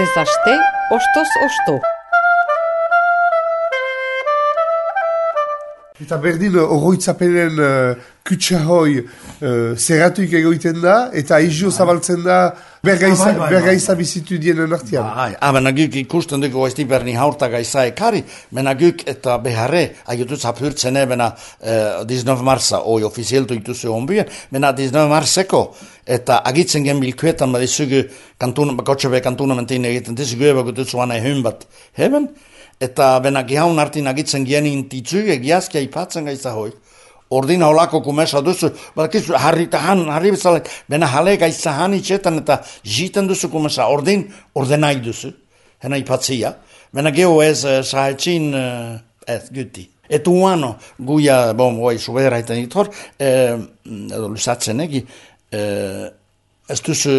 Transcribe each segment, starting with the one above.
Astez aste, ostoz osto. Eta berdin oroitzapenen kutsahoi zerratuik egoiten da, eta aizio zabaltzen da bergaiza bizitu dienen artian. Baina guk ikusten dugu ez berni haurta gaiza ekari, mena guk eta beharre, agituz apurtzen ebena 19 marza, oi ofizieltu ituzu onbuen, mena 19 marzeko, eta agitzen gen bilkuetan badizugu kotxebe kantunamentin egiten, dizugu ebagutuzu anai hyn bat heben, eta bena gihaun artin agitzen genin titzuge giazkia ipatzen gaiza hoi. Ordin holako kumesa duzu, badakizu harri bezala, bena hale gaiza hani txetan eta jiten duzu kumesa, ordenai duzu, hena ipatzia. Bena geho ez sahetxin ez guti. Etu uano, guia, subera iten itor, edo lusatzen egi, ez duzu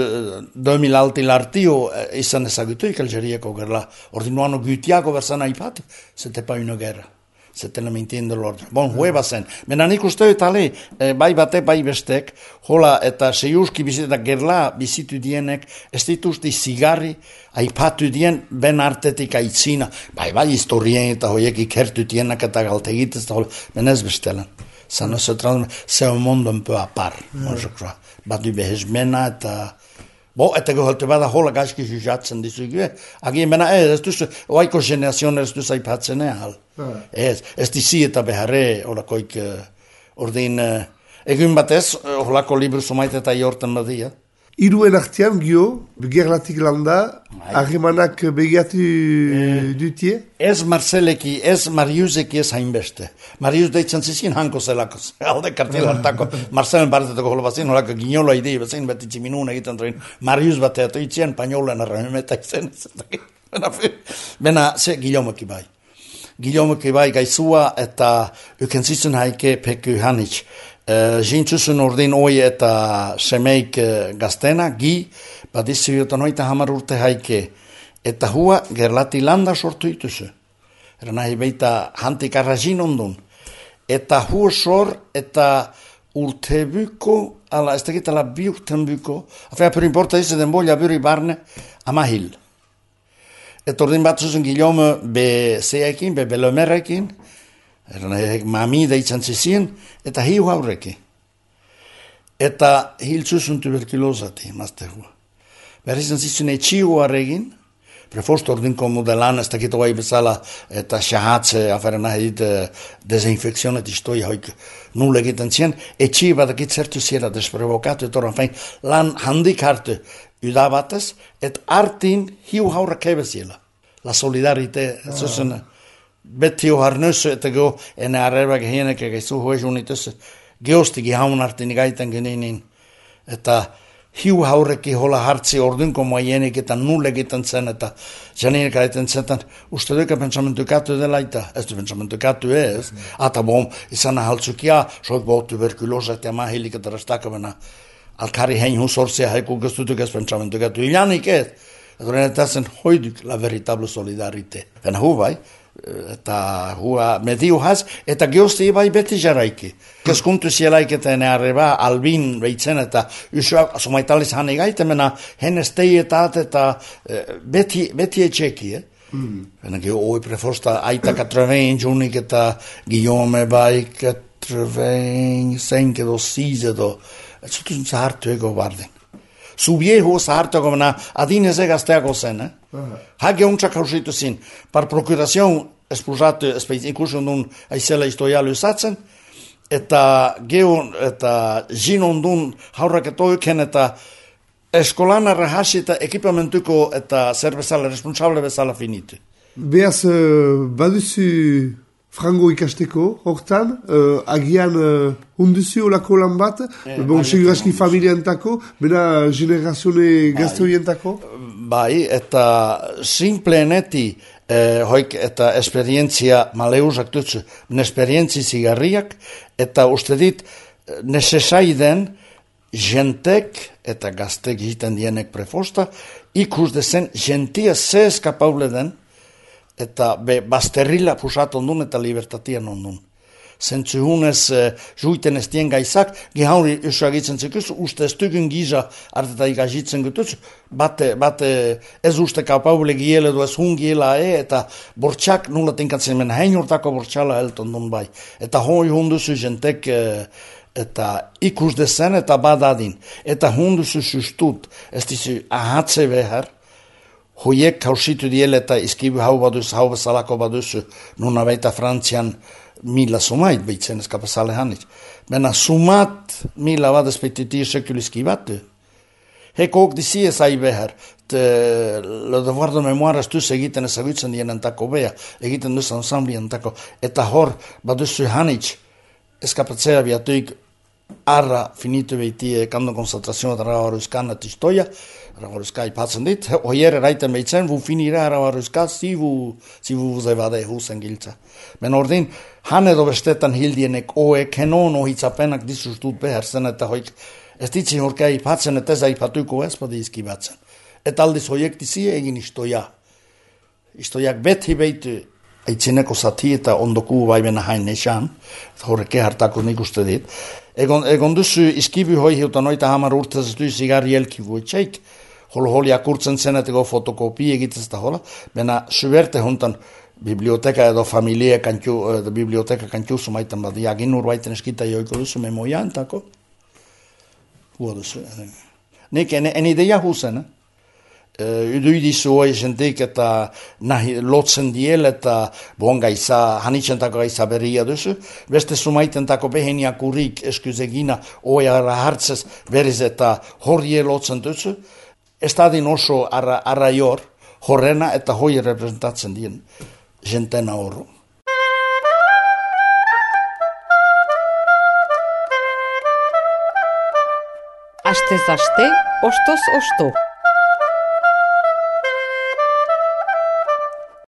2000 altil artio izan ezagutu ikalgerieko gerla. Ordin uano gutiako berzana ipati, zete pa uno gerra. Zeten me entiendo l'ordre. Hueva zen. Mena nik uste etale, bai bate, bai bestek, hola eta seiuski bizita gerla bizitu dienek, ez dituzti zigarri, aipatu dien, ben artetik aitzina. Bai historien eta hoiek ikertu dienak eta galtegitez, ben ez bestelan. Ça ne se transmet, c'est un monde un peu à part, moi je crois. Badu behezmena eta... eta geholte bada hola gaizki jujatzen dizugu. Agien bena ez duzu, oaiko generazioan ez duzu aipatzen ehal. Ez dizi eta beharre holakoik ordin... Egun batez, holako libru sumaite eta jorten badia. Iruen artean, gio, gerlatik landa, harremanak begiatu dutie? Ez Marceleki, ez Mariuseki ez hainbeste. Marius deitzen zizien hanko zelako, alde kartil hartako. Marcelen bartetako hola bazin, holako ginolo idei bazin, beti tximinun egiten train. Marius bateatu itzien, pañolen arrameta izen. Bena, ze Guillaume bai. Guillaume bai gaizua eta ukenzitzen haike peku hanitz. Jintzuzun ordin oi eta semeik gaztena, badizu jotan oita hamar urte haike, eta hua gerlati landa sortu ituzu. Nahi beita hantik arrazin ondun. Eta hua sor eta urtebuko, ez tegitala bi urtebuko, afea per importa den bolla buri barne, amahil. Eta ordin batzuzun Guillaume be zeekin, be belomerrekin, mami deitzen zizien, eta hiu haurreki. Eta hiltzuzun tuberkulosati, mazte hua. Berrizan zizun etxiu harregin, prefost ordinko modelan, ez dakit oai bezala, eta xahatze, aferen ahit, desinfekzionet istoi haik nul egiten zien, etxi badakit zertu ziera desprovokatu, eta oran fein, lan handik hartu udabatez, et artin hiu haurrak ebeziela. La solidarite, zuzun, beti harnössö, että go enne arrebak hienek eikä suhuesunitussa geosti haun artini gaiten geninin, että hiu haureki hola hartsi ordunko mua hienek, että nullekitan sen, että janine gaiten sen, että ustedykä pensamentu käty de laita, estu pensamentu käty ees, ata bom, isana haltsukia, soik bo tuberkuloset ja mahillikataras takavana, alkari hein husorsia haikukastutykäs pensamentu käty, illanik ees, että tässä hoidyk la veritable solidarite. Venä huvai, eta hua mediu has, eta geosti bai beti jaraiki. Keskuntu sielaiketa ene arreba albin beitzen, eta usua somaitalis hane gaitemena henestei eta beti etxeki, Venäkin oi prefosta aita 80 junik, eta Guillaume bai 85 edo 6 edo, et sutun sa hartu ego bardin. Su viejo sarto na adine se gasteago zen, Hage untsa kausitu sin, par procuración espusato ikusun dun aizela istoia lysatzen, eta geun eta jinondun haurraketoiken eta eskolana rahasita ekipamentuko eta zer bezala responsable bezala finitu. Beaz, baduzu frango ikasteko, hortan, agian hunduzu olako lan bat, seguraski familiantako, bena generazione gazteoientako? Bai, eta simpleeneti hoik eta esperientzia maleusak dutzu, esperientzi zigarriak, eta uste dit, nesesaiden jentek eta gaztek jiten dienek prefosta, ikus dezen jentia ze eskapable den, eta bazterrila pusat ondun eta libertatian ondun. zentzu hunez juiten ez dien gaizak, gehauri usagitzen zikuz, uste ez dugun giza arteta ikazitzen gutuz, bate ez uste kapaule giele du ez hun giela eta bortxak nula tinkatzen men hein urtako bortxala helton dun bai. Eta hoi hunduzu jentek eta ikus dezen eta badadin. Eta hunduzu sustut, ez dizu ahatze behar, hoiek kausitu diel eta iskibu hau baduz, hau bezalako baduzu, nuna baita Frantzian mila sumait behitzen eskapasale hanit. Bena sumat mila badez petiti sekuliski batu. Hekok disi ez ai behar, le devoir de memoire astuz egiten ezagutzen dien entako bea, egiten duz ansambli entako, eta hor baduzu hanit, eskapatzea biatuik arra finitu behiti kando konzentrazioa da ravaruzkan atistoia, ravaruzka ipatzen dit, oier eraiten behitzen, vu finira ravaruzka, si vu zebade husen giltza. Ben ordin, han edo bestetan hildienek oe kenon ohitzapenak disustut behar zen, eta hoik ez ditzi horka ipatzen, eta ez aipatuko ez badi izkibatzen. Eta aldiz hoiek dizi egin istoia. Istoiak beti behitu, eitzineko zati eta ondoku baimena hain esan, horreke hartako nik uste dit. Egon duzu iskibu hoi hiutan oita hamar urtez du zigarri elkivu etxeik, holi akurtzen zeneteko fotokopi egitez da hola, bena suberte hontan biblioteka edo familie biblioteka kantiuzu maitan badi, agin urbaiten eskita joiko duzu memoia entako. Hua duzu. Nik en ideia huzen, Uduidizu hoi jentik eta lotzen diel eta bon gaiza, hanitzentako gaiza berria duzu. Beste sumaitentako beheniak urrik eskuzegina hoi arra hartzez berriz eta horrie lotzen duzu. Ez dadin oso arraior horrena eta hoi representatzen dien jentena horro. Astez aste, ostoz osto.